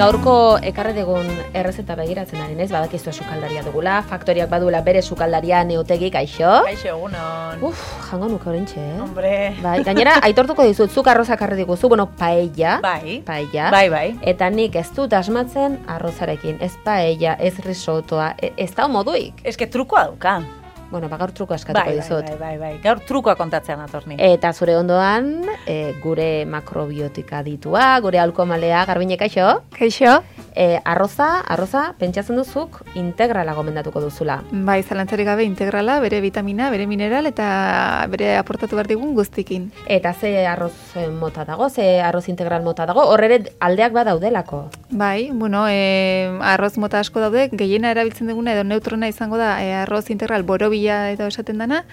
Gaurko ekarri dugun errezeta begiratzen ari naiz, badakizua sukaldaria dugula, faktoriak baduela bere sukaldaria Neotegi, kaixo? Kaixo, egunon. Jango nuke horintxe, Hombre. Bai, gainera, aitortuko dizut, zuk arroza karri diguzu, paella. Bai. Paella. Bai. Eta nik ez dut asmatzen arrozarekin, ez paella, ez risotoa, ez da moduik. Eske trukoa dauka. Bueno, gaur truko eskatuko dizut. Bai. Gaur trukoa kontatzean atorni. Eta zure ondoan, gure makrobiotika ditua, gure alkomalea, Garbine, kaixo? Kaixo? Arroza, pentsatzen duzuk integrala gomendatuko duzula. Bai, zalantzarik gabe integrala, bere vitamina, bere mineral eta bere aportatu behar digun guztikin. Eta ze arroz mota dago, ze arroz integral mota dago, horre aldeak badaudelako. Bai, bueno, arroz mota asko daude, gehiena erabiltzen duguna edo neutrona izango da arroz integral borobila edo esaten dana,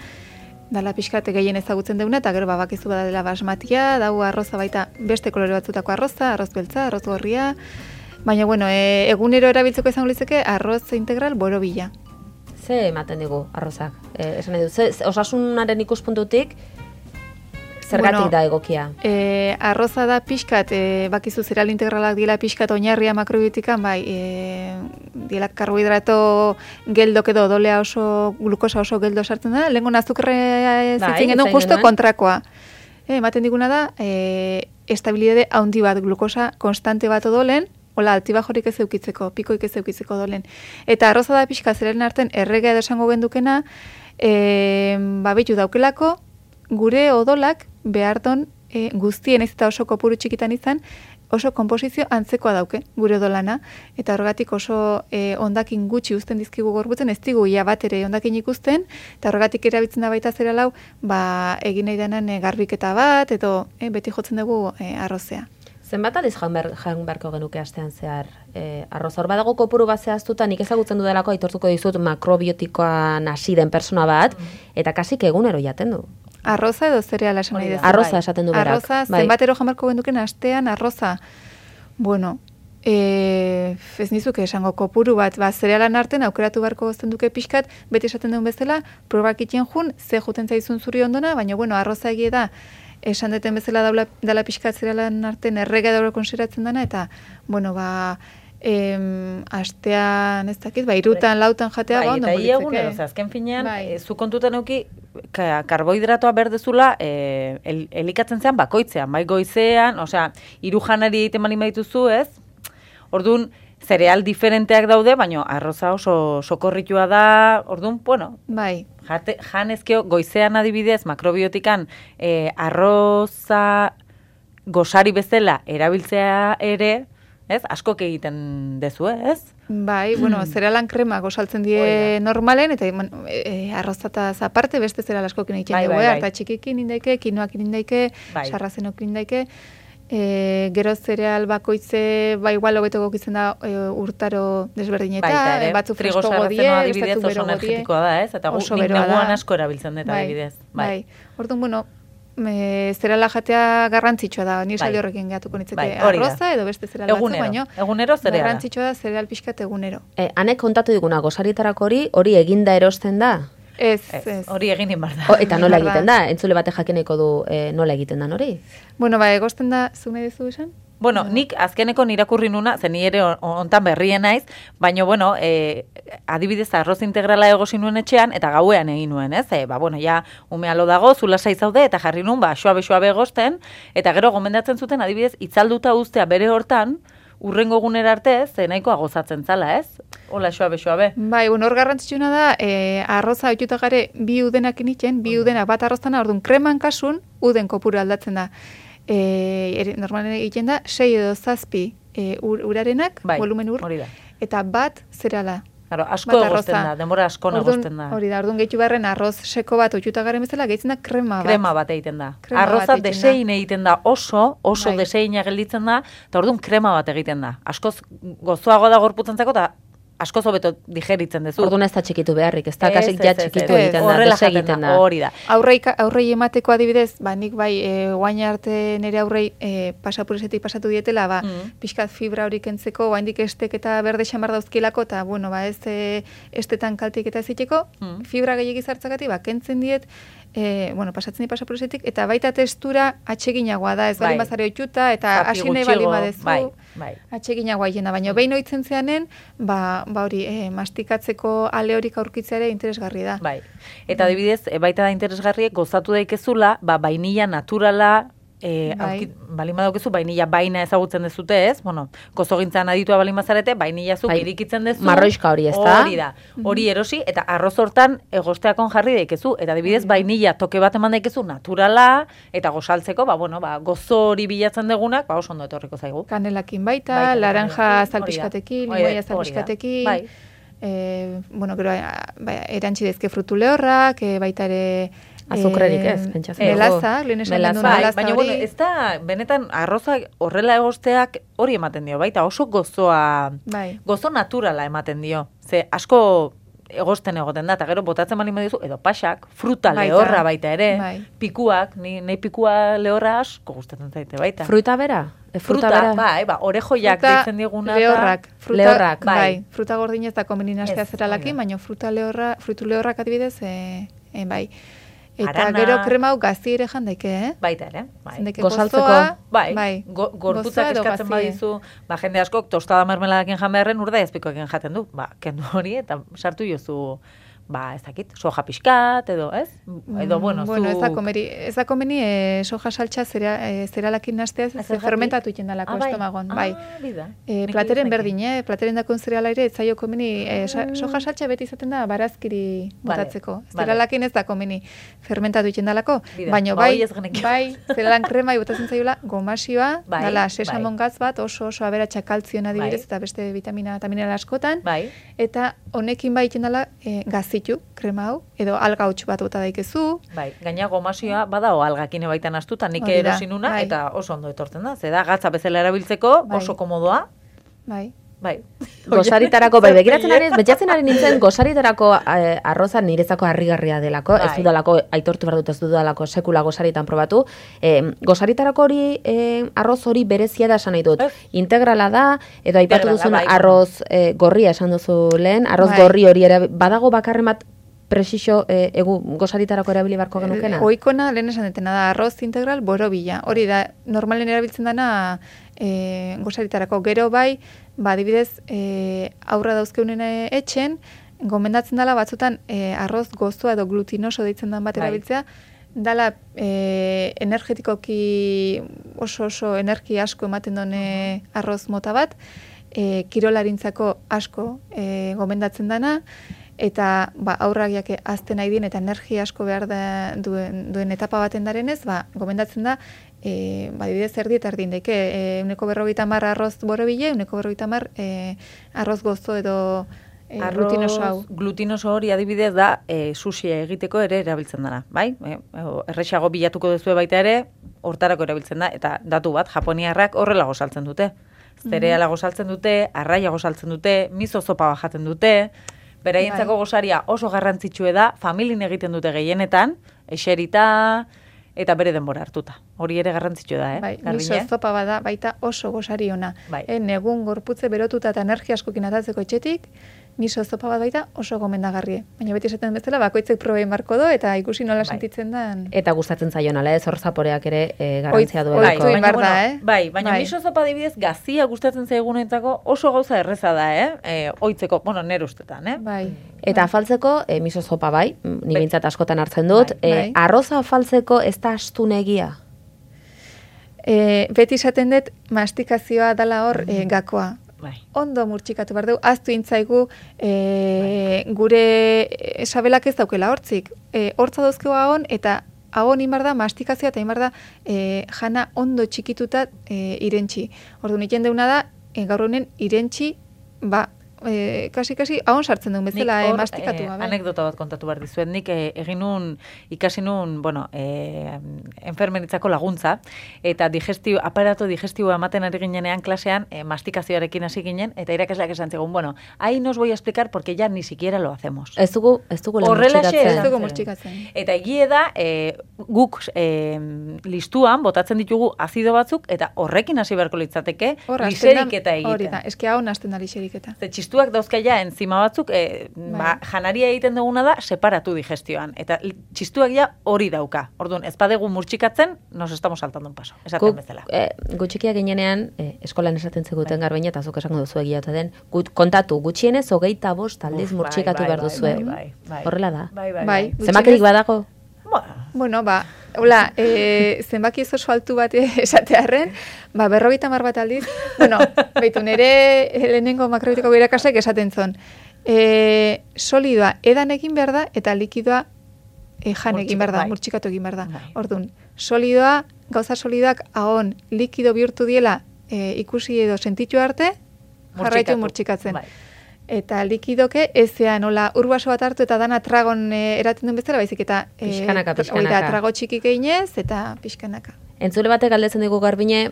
dala pixkate gehien ezagutzen duguna, eta gero bakizu badadela basmatia, dau arroza baita beste kolore batzutako arroza, arroz beltza, arroz gorria, baina, bueno, egunero erabiltzeko izango litzeke arroz integral borobila. Ze ematen digu arrozak? Esan edu, osasunaren ikuspuntutik, zergatik da egokia? Arroza da pixkat, bakizu zereal integralak dira pixkat oinarria makrobiotikan, bai, dira karbohidrato geldok edo dolea oso, glukosa oso geldo sartzen da, lehenko azukre zitzen genuen justo kontrakoa. Ematen diguna da, estabilidade haundi bat, glukosa konstante bat odolen, hola, altibajorik ez eukitzeko, pikoik ez eukitzeko dolen. Eta arroza da pixka zeraren arten erregea edo esango gendukena, bitu daukelako, gure odolak beharton guztien ez eta oso kopuru txikitan izan, oso konposizio antzekoa dauke, gure odolana, eta horregatik oso ondakin gutxi uzten dizkigu gorputzen, ez digu ia bat ere ondakin ikusten, eta horregatik erabiltzen da baita zera lau, egin nahi denan garbiketa bat, edo beti jotzen dugu arrozea. Zenbat aldiz jaun beharko genuke astean zehar arroz? Hor badago kopuru bat zehaztuta, nik ezagutzen dudelako aitortuko dizut makrobiotikoan hasi den persona bat, eta kasik egunero jaten du. Arroza edo zereala esan nahi dezu? Arroza esaten du berak. Arroza, zenbatero jaun beharko genuken astean arroza. Bueno, ez nizuke esango kopuru bat, zerealan arten aukeratu beharko gozten duke pixkat, beti esaten duen bezala, probak itxen jun, ze juten zaizun zuri ondona, baina bueno, arroza egie da, esan deten bezala dala pixkat zerealan arten errega dauro konseratzen dana, eta, bueno, astean ez dakit, irutan, lautan jatea, ondo politzeke. Eta azken finean, zu kontutan euki, karbohidratoa berdezula elikatzen zean bakoitzean, bai goizean, osea, hiru janari egiten bali maituzu, ez? Orduan, zereal diferenteak daude, baina arroza oso sokorritua da, orduan, bueno, janezkeo goizean adibidez, makrobiotikan arroza gosari bezala erabiltzea ere, ez? Askok egiten dezu, ez? Bai, bueno, zerealan krema gosaltzen die normalen, eta arrozataz aparte beste zereal askokin egiten dugu, eta txikikin indaike, kinoakin indaike, sarrazenokin indaike, gero zereal bakoitze, igual hobeto gokitzen da urtaro desberdinetan, batzu fresko godie, adibidez oso energetikoa da, ez? Eta nik neguan asko erabiltzen dut adibidez. Bai, orduan, bueno, zerala jatea garrantzitsua da, ni saldi horrekin gehatuko nitzeke arroza edo beste zereal batzu, baino egunero zereala. Garrantzitsua da zereal pixkat egunero. Hanek kontatu diguna gosaritarako hori eginda erosten da? Ez. Hori egin inbar da. Eta nola egiten da? Entzule bate jakineko du nola egiten da hori? Bueno, egosten da, zu nahi dezu esan? Bueno, nik azkeneko nirakurri nuna, zen ni ere ontan berrien naiz, baina, bueno, adibidez arroz integrala egosi nuen etxean, eta gauean egin nuen, ez? Bueno, ja, umealo dago, zulasai zaude, eta jarri nuen, suabe egosten, eta gero gomendatzen zuten, adibidez, itzalduta uztea bere hortan, urrengo egunera arte, ze nahikoa gozatzen zala, ez? Hola, suabe. Bai, bueno, hor garrantzitsuna da, arroza oituta gare bi udenak initzen, bi udenak bat arroztana, orduan kreman kasun, uden kopuru aldatzen da. Normalen egiten da, 6 edo 7 urarenak, volumen ur, eta bat zereala. Claro, asko egosten da, denbora asko egosten da. Hori da, orduan gehitu beharren arroz seko bat oituta garen bezala, gehitzen da krema bat. Krema bat egiten da. Arroza desein egiten da, oso deseina gelditzen da, eta orduan krema bat egiten da. Askoz gozoago da gorputzantzako, eta asko hobeto digeritzen dezu. Orduan ez da txikitu beharrik, ez da kasik ja txikitu egiten da, desegiten da. Hori da. Aurrei emateko adibidez, nik guain arte nire aurrei pasapuresetik pasatu dietela, pixkat fibra horik entzeko, guaindik estek eta berde xamar dauzkilako, eta bueno, ez estetan kaltik eta ziteko, fibra gehiagi zartzakati, kentzen diet, pasatzen di pasapuresetik, eta baita testura atseginagoa da, ez bali bazare oituta, eta hasi nahi bali badezu. atseginagoa hiena, baina behin oitzen zeanen, ba hori, mastikatzeko ale horik aurkitzea ere interesgarri da. Bai. Eta adibidez, baita da interesgarriek gozatu daikezula, vainilla naturala, balin badaukezu, vainilla baina ezagutzen dezute, ez? Bueno, gozogintzan aditua balin bazarete, vainilla zuk irikitzen dezu. Marroixka hori, ez da? Hori da. Hori erosi, eta arroz hortan egosteakon jarri daikezu. Eta adibidez, vainilla toke bat eman daikezu naturala, eta gozaltzeko, gozo hori bilatzen degunak, oso ondo etorriko zaigu. Kanelakin baita, laranja zalpiskatekin, limoia zalpiskatekin. Bueno, gero, erantzi dezke frutu lehorrak, baita ere... Azukrerik ez, pentsatzen. Melaza, lehen esan gendu melaza baina, bueno, ez da, benetan, arroza horrela egosteak hori ematen dio, baita oso gozoa, gozo naturala ematen dio. Ze, asko egosten egoten da, eta gero botatzen bali medizu, edo pasak, fruta lehorra baita ere, pikuak, nahi pikua lehorra asko gustatzen zaite baita. Fruta bera? Fruta bera? Orejoiak deitzen diguna. Lehorrak, bai. Fruta gordinez da komenin astea zeralakin, baina frutu lehorrak adibidez, bai. Eta gero krema hau gazi ere jandaike, Baita ere, gozaltzeko. Bai, gorputzak eskatzen badizu, jende askok tostada mermeladakin jan beharren urdai azpikoekin jaten du. Kendu hori eta sartu jozu, ez dakit, soja pixkat, edo, ez? Edo, bueno, ez da komeni soja saltxa zeralakin nastea, fermentatu iten dalako estomagon, bai. Plateren berdin, plateren dakon zerala ere, ez zaio komeni, soja saltxa beti izaten da barazkiri botatzeko. Zeralakin ez da komeni fermentatu iten dalako, baina bai, zeralan krema botatzen zaiola, gomasioa, dala, sesamon gatz bat, oso aberatsa kaltzioen adibidez, eta beste vitamina eta mineral askotan, eta honekin bai iten dala gazi krema hau, edo alga hutsu bat bota daikezu. Bai, gaina gomasioa badao algakin baitan astuta, nik erosinuna, eta oso ondo etortzen da. Zeda, gatza bezala erabiltzeko, oso komodoa. Bai. Gozaritarako, begiratzen ari, betxatzen ari nintzen, gozaritarako arroza nirezako harrigarria delako, ez dudalako, aitortu behar dut ez dudalako sekula gozaritan probatu. Gozaritarako hori, arroz hori berezia da esan nahi dut. Integrala da, edo aipatu duzun arroz gorria esan duzu lehen, arroz gorri hori ere, badago bakarren bat presixo gozaritarako erabili barko genukena? Oikona, lehen esan detena da, arroz integral borobila. Hori da, normalen erabiltzen dana gozaritarako gero bai, adibidez, aurra dauzkeunen etxen, gomendatzen dela batzutan arroz gozoa edo glutinoso deitzen den bat erabiltzea, dala energetikoki oso energia asko ematen duen arroz mota bat, kirolarintzako asko gomendatzen dana, eta aurragiak azten nahi din, eta energia asko behar duen etapa baten darenez, gomendatzen da, adibidez erdi eta erdin daike, 150 arroz borobile, 150 arroz gozo edo glutinoso hau. Glutinoso hori adibidez da, sushi egiteko ere erabiltzen dara, bai? Errexago bilatuko duzue baita ere, hortarako erabiltzen da, eta datu bat, japoniarrak horrela gozaltzen dute. Zereala gozaltzen dute, arraia gozaltzen dute, miso zopa bajaten dute, beraientzako gozaria oso garrantzitsue da, familin egiten dute gehienetan, eserita eta bere denbora hartuta. Hori ere garrantzitsue da, miso zopa bada baita oso gozari ona. Negun gorputze berotuta eta energia askokin atatzeko etxetik, miso zopa bat baita oso gomendagarrie. Baina beti esaten bezala, bakoitzek probein marko do, eta ikusi nola sentitzen den. Eta gustatzen zaion, ala ez, hor zaporeak ere garrantzia duelako. Baina miso zopa dibidez, gazia gustatzen zaigunentzako oso gauza erreza da, oitzeko, nere ustetan, Eta afaltzeko, miso zopa bai, ni bintzat askotan hartzen dut, arroza afaltzeko ez da astunegia? Beti esaten dut, mastikazioa dala hor gakoa. Ondo murtxikatu behar dugu, aztu intzaigu gure sabelak ez daukela hortzik. Hortza dauzkeu ahon, eta ahon imar da mastikazioa, eta imar da jana ondo txikituta irentxi. Ordu nik jendeuna da, gaur honen irentxi, kasi ahon sartzen duen bezala mastikatu. Anekdota bat kontatu behar dizuet, nik ikasi nun, enfermeritzako laguntza, eta aparato digestiboa ematen ari ginenean klasean, mastikazioarekin hasi ginen, eta irakasleak esan zigun, ahí nos voy a explicar porque ya ni siquiera lo hacemos. Ez dugu murtxikatzen. Eta egie da, guk listuan botatzen ditugu azido batzuk, eta horrekin hasi beharko litzateke, liseriketa egiten. Hori da, eski ahon hasten da liseriketa. txistuak dauzkaia enzima batzuk, janaria egiten duguna da separatu digestioan. Eta txistuak ja hori dauka. Orduan, ez badegu murtsikatzen, nos estamos saltando un paso. Esaten bezala. Gutxikia ginenean, eskolan esaten zeguten Garbiñe, eta zuk esango duzu egia ote den, kontatu, gutxienez 25 aldiz murtsikatu behar duzue. Horrela da. Bai. Zenbakirik badago? Bueno, hola, zenbaki ez oso altu bat esatearren, 50 bat aldiz, bueno, baitu nire lehenengo makrobitiko irakasleek esaten zon, solidoa edan egin behar da, eta likidoa jan egin behar da, murtsikatu egin behar da. Orduan, solidoa, gauza solidoak ahon likido bihurtu diela ikusi edo sentitu arte, jarraitu murtsikatzen. Eta likidoke ezean nola urbaso bat hartu eta dana tragon eraten duen bezala, baizik eta pixkanaka. Trago txikik einez eta pixkanaka. Entzule batek galdetzen digu Garbine,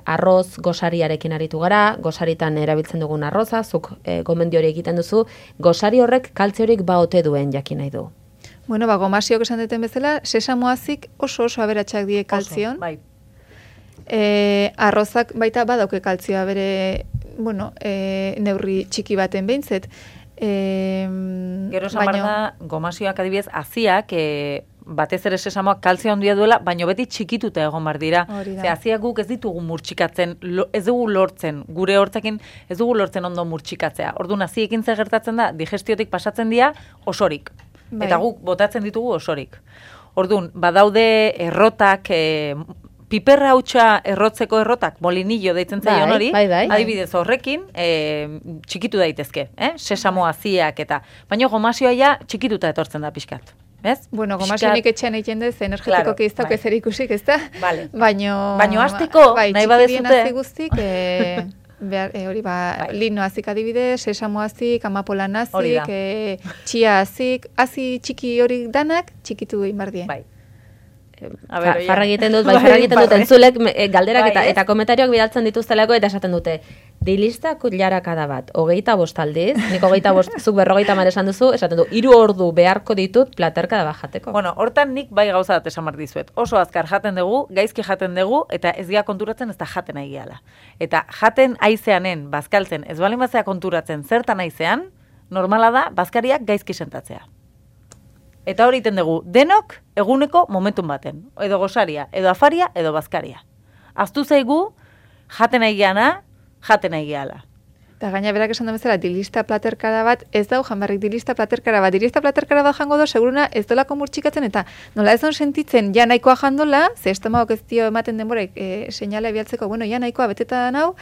arroz gosariarekin aritu gara, gosaritan erabiltzen dugun arroza, zuk gomendio hori egiten duzu, gosari horrek kaltziorik ote duen jakin nahi du. Bueno, gomasiok esan duten bezala, sesamoazik oso aberatsak die kaltzion. Bai. Arrozak baita badauke kaltzioa bere, neurri txiki baten behintzet. Gero esan behar da, gomasioak adibidez, aziak, batez ere sesamoak kaltzio handia duela, baina beti txikituta egon bar dira. Ze aziak guk ez ditugu murtsikatzen, ez dugu lortzen, gure hortzekin ez dugu lortzen ondo murtsikatzea. Orduan aziekin zer gertatzen da, digestiotik pasatzen dira osorik. Bai. Eta guk botatzen ditugu osorik. Orduan, badaude errotak, piperra hautsa errotzeko errotak, molinillo deitzen zaion hori, adibidez horrekin, txikitu daitezke, sesamo aziak eta, baina gomasioa ja txikituta etortzen da pixkat. Ez? Bueno, gomasionik etxean egiten dez, energetiko keiztako ezer ikusik, ez da? Baina hasteko, nahi badezute. Txikidien guztik, hori lino azik adibidez, sesamo azik, amapolan azik, txia azik, azi txiki hori danak, txikitu egin bardien. Bai. Farra egiten dut, entzulek galderak eta komentarioak bidaltzen dituztelako eta esaten dute, dilista kutlarakada bat, 25 aldiz, nik 25, zuk 50 esan duzu, esaten du, 3 ordu beharko ditut platerkada bat jateko. Bueno, hortan nik bai gauza bat esan behar dizuet. Oso azkar jaten dugu, gaizki jaten dugu, eta ez gea konturatzen ez da jaten aigeala. Eta jaten aizeanen, bazkaltzen, ez balin bazea konturatzen zertan aizean, normala da, bazkariak gaizki sentatzea. Eta hori iten dugu, denok eguneko momentun baten. Edo gosaria, edo afaria, edo bazkaria. Aztu zaigu, jaten aigeana, jaten aigeala. Eta gaina berak esan da bezala, dilista platerkara bat, ez dau janbarrik dilista platerkara bat. Dilista platerkara bat jango do, seguruna ez dolako murtsikatzen, eta nola ez on sentitzen, ja nahikoa jandola, ze estomagok ez dio ematen denborek seinale bialtzeko, bueno, ja nahikoa beteta nau,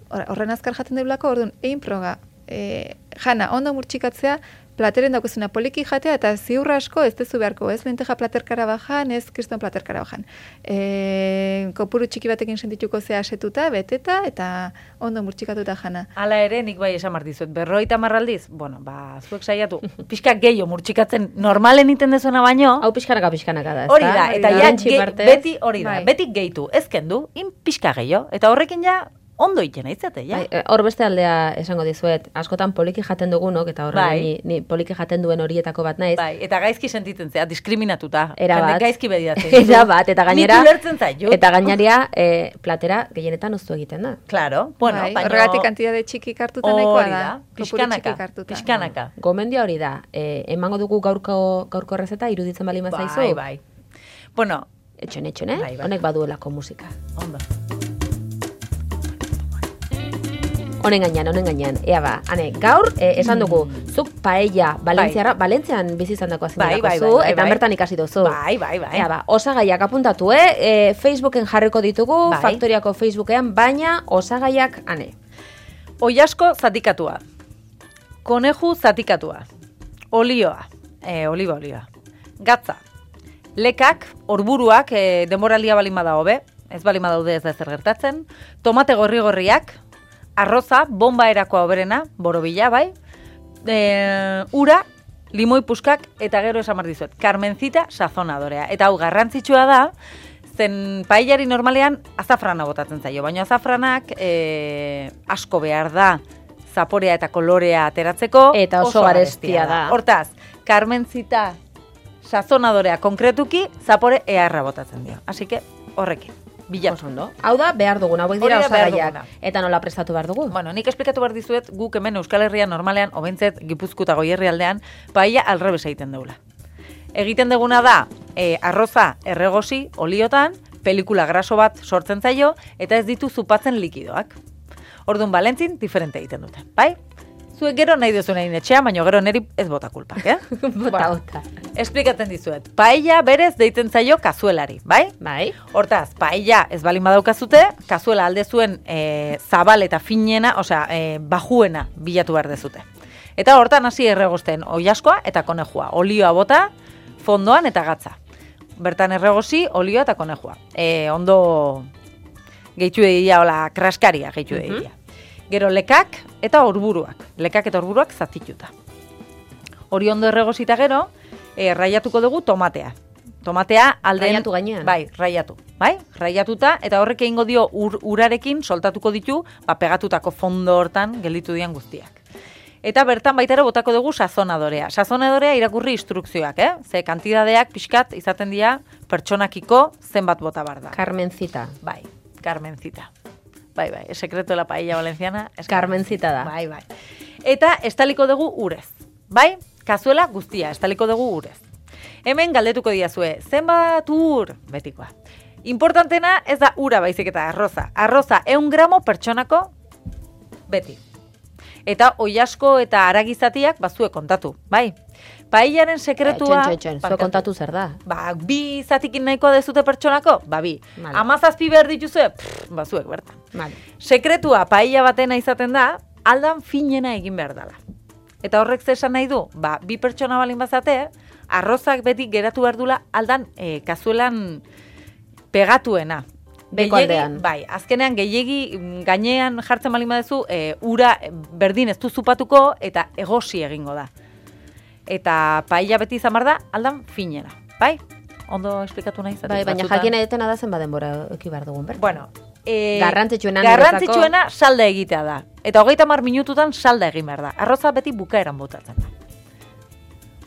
horren azkar jaten deulako, orduan, egin proga, jana, ondo murtsikatzea, plateren daukezuna poliki jatea, eta ziurra asko ez dezu beharko, ez lenteja platerkara bajan, ez kriston platerkara bajan. Kopuru txiki batekin sentituko zea asetuta, beteta, eta ondo murtsikatuta jana. Hala ere, nik bai esan martizuet, 50 aldiz, bueno, zuek saiatu, pixka gehiago murtsikatzen normalen iten dezuna baino. Hau pixkanaka da, ez hori da, eta ja, beti hori da, beti gehitu, ez kendu, pixka gehiago, eta horrekin ja, ondo iten aitzate, ja? Hor beste aldea esango dizuet, askotan poliki jaten dugunok, eta horre ni poliki jaten duen horietako bat naiz. Bai, eta gaizki sentitzen zea, diskriminatuta. Erabat. Gaizki bediatzen. Erabat, eta gainera... Nik ulertzen zaitut. Eta gainaria, platera gehienetan oztu egiten da. Claro, bueno, baina... Horregatik kantitate txikik hartuta nahikoa da. Pixkanaka. Gomendia hori da, emango dugu gaurko errezeta, iruditzen bali mazaizu? Bai. Bueno... Etxone, honek baduelako musika. Ondo. Honen gainean, ea ba, gaur, esan dugu, zuk paella, Valentzian bizi izan dako azindako zu, eta bertan ikasi duzu. Bai. Ea ba, osagaiak apuntatu, Facebooken jarriko ditugu, Faktoriako Facebookean, baina osagaiak, Oiasko zatikatua, koneju zatikatua, olioa, oliba, gatza, lekak, orburuak, denboralia balin bada hobe, ez balin badaude ez da zer gertatzen, tomate gorri-gorriak, arroza, bomba erakoa oberena, borobila, bai, ura, limoi puskak, eta gero esan mardizuet, Carmencita sazonadorea. Eta hau garrantzitsua da, zen paellari normalean azafrana botatzen zaio, baina azafranak asko behar da, zaporea eta kolorea ateratzeko, eta oso garestia da. Hortaz, Carmencita sazonadorea konkretuki, zapore eharra botatzen dio. Así que, horrekin. bilatu. Ondo. Hau da, behar duguna, hauek dira Hori da behar osagaiak. duguna. Eta nola prestatu behar dugu? Bueno, nik esplikatu behar dizuet, guk hemen Euskal Herrian normalean, obentzet Gipuzkoa eta Goierri aldean, paella alrebes egiten deula. Egiten deguna da, arroza erregosi, oliotan, pelikula graso bat sortzen zaio, eta ez ditu zupatzen likidoak. Orduan, Valentzin, diferente egiten dute, bai? Zuek gero nahi duzuen egin etxean, baina gero neri ez bota kulpak, Bota. Esplikatzen dizuet. Paella berez deitzen zaio kazuelari, bai? Bai. Hortaz, paella ez balin badaukazute, kazuela alde zuen zabal eta finena, osea, bajuena bilatu behar dezute. Eta hortan hasi erregosten oilaskoa eta konejua. Olioa bota, fondoan eta gatza. Bertan erregosi, olioa eta konejua. Ondo gehitu egia, hola, kraskaria gehitu egia. Gero lekak eta orburuak. Lekak eta orburuak zatituta. Hori ondo erregosita gero, raiatuko dugu tomatea. Tomatea alden... Raiatu gainean. Bai, raiatu. Bai, raiatuta, eta horrek egingo dio urarekin soltatuko ditu, pegatutako fondo hortan gelditu dian guztiak. Eta bertan baita ere botako dugu sazonadorea. Sazonadorea irakurri instrukzioak, Ze kantidadeak pixkat izaten dira pertsonakiko zenbat bota bar da. Carmencita. Bai, Carmencita. Bai, el secreto de la paella valenciana es Carmencita da. Bai. Eta estaliko dugu urez. Bai, kazuela guztia, estaliko dugu urez. Hemen galdetuko diazue, zenbat ur? Betikoa. Importantena ez da ura baizik eta arroza. Arroza 100 gramo pertsonako beti. Eta oilasko eta aragizatiak bazuek kontatu, bai? Paellaren sekretua... Zue kontatu zer da? Ba, 2 zatikin nahikoa dezute pertsonako? Ba, 2. Vale. 17 behar dituzue? Bazuek, bertan. Vale. Sekretua paella batena izaten da, aldan finena egin behar dela. Eta horrek zesan nahi du, ba, 2 pertsona balin bazate, arrozak beti geratu behar dula aldan kazuelan pegatuena. Beko aldean. Bai, azkenean gehiegi gainean jartzen balin badezu, ura berdin ez du zupatuko eta egosi egingo da. Eta paella beti izan behar da, aldan finena. Bai? Ondo esplikatu nahi zaten. Bai, baina jakin edetena da zen baden bora eki behar dugun, bertan. Bueno, garrantzitsuena salda egitea da. Eta 30 minututan salda egin behar da. Arroza beti bukaeran botatzen da.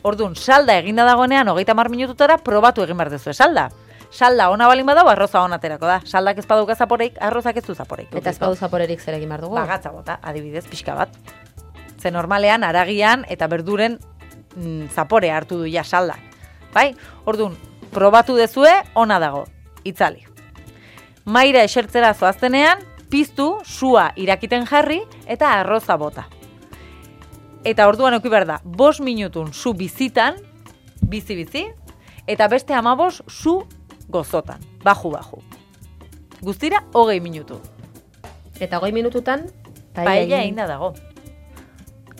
Orduan, salda eginda dagoenean 30 minututara probatu egin behar duzu salda. Salda ona balin badau, arroza ona aterako da. Saldak ez baduka zaporeik, arrozak ez du zaporeik. Eta ez badu zaporerik zer egin behar dugu? Bagatza bota, adibidez, pixka bat. Ze normalean, aragian eta berduren zapore hartu du ja saldak. Bai? Orduan, probatu dezue, ona dago. Itzali. Maira esertzera zoaztenean, piztu, sua irakiten jarri eta arroza bota. Eta orduan euki behar da, 5 minutun su bizitan, bizi, eta beste 15 su gozotan, baju. Guztira, 20 minutu. Eta 20 minututan, paella egin da dago.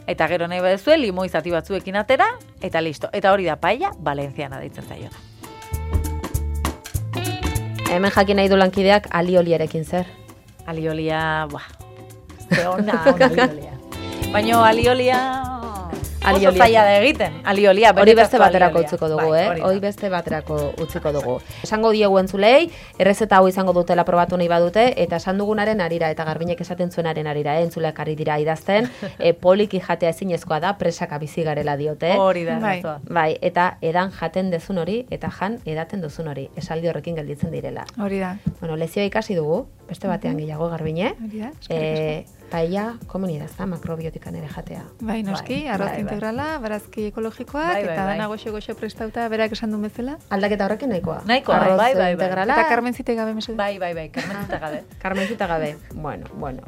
Eta gero nahi badezue, limoi zati batzuekin atera, eta listo. Eta hori da paella valenciana deitzen zaiona. Hemen jakin nahi du lankideak alioliarekin zer? Aliolia, ze ona aliolia. Baina aliolia oso zaila da egiten. Aliolia, hori beste baterako utziko dugu, hori beste baterako utziko dugu. Esango diegu entzulei, errezeta hau izango dutela probatu nahi badute, eta esan dugunaren arira, eta Garbiñek esaten zuenaren arira, entzuleak ari dira idazten, poliki jatea ezinezkoa da, presaka bizi garela diote. Hori da, bai, eta edan jaten dezun hori, eta jan edaten duzun hori, esaldi horrekin gelditzen direla. Hori da. Bueno, lezioa ikasi dugu, beste batean gehiago Garbine. Hori da, paella komunidad da, makrobiotikan ere jatea. Bai, noski, arroz integrala, barazki ekologikoak, eta dana goxe prestauta, berak esan du bezala. Aldaketa horrekin nahikoa. Nahikoa, bai. Integrala. Eta Carmencita gabe, mesedez. Bai, Carmencita gabe. Carmencita gabe. Bueno.